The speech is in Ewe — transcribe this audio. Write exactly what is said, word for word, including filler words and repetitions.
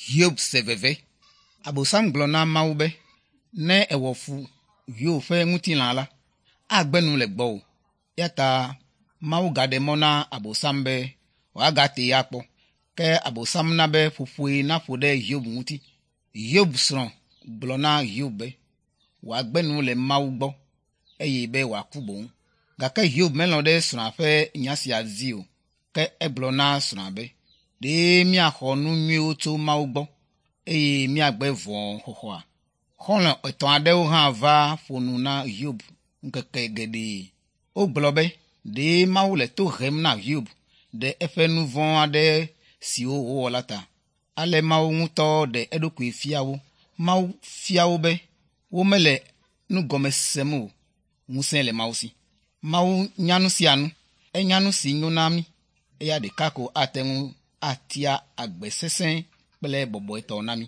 Hiob se veve. Abosam gblɔ na Mawu be, ne èwɔ fu Hiob ƒe ŋutilã la, agbe nu le gbɔwò. Eya ta Mawu gaɖe mɔ na Abosam be wòagatee akpɔ. Ke Abosam na be ƒoƒoe naƒo ɖe Hiob ŋuti. Hiob srɔ̃ gblɔ na Hiob be wòagbe nu le Mawu gbɔ eye be wòaku boŋ. Gake Hiob melɔ̃ ɖe srɔ̃a ƒe nya sia dzi o. Ke egblɔ na srɔ̃a be, ɖe míaxɔ nu nyuiwo tso Mawu gbɔ eye míagbe vɔ̃ xɔxɔa? Xɔlɔ̃ etɔ̃ aɖewo hã va ƒo nu na Hiob ŋkeke geɖe. Wogblɔ be ɖe Mawu le to hem na Hiob ɖe eƒe nu vɔ̃ aɖe siwo wòwɔ la ta. Ale Mawu ŋutɔ ɖe eɖokui fia wo. Mawu fia wo be womele nu gɔme sem o. Ŋusẽ le Mawu si. Mawu nya nu sia nu. Enya nu si nyo na mí. Eya ɖeka ko ate ŋu atia agbe sesẽ kple bɔbɔetɔ na mí.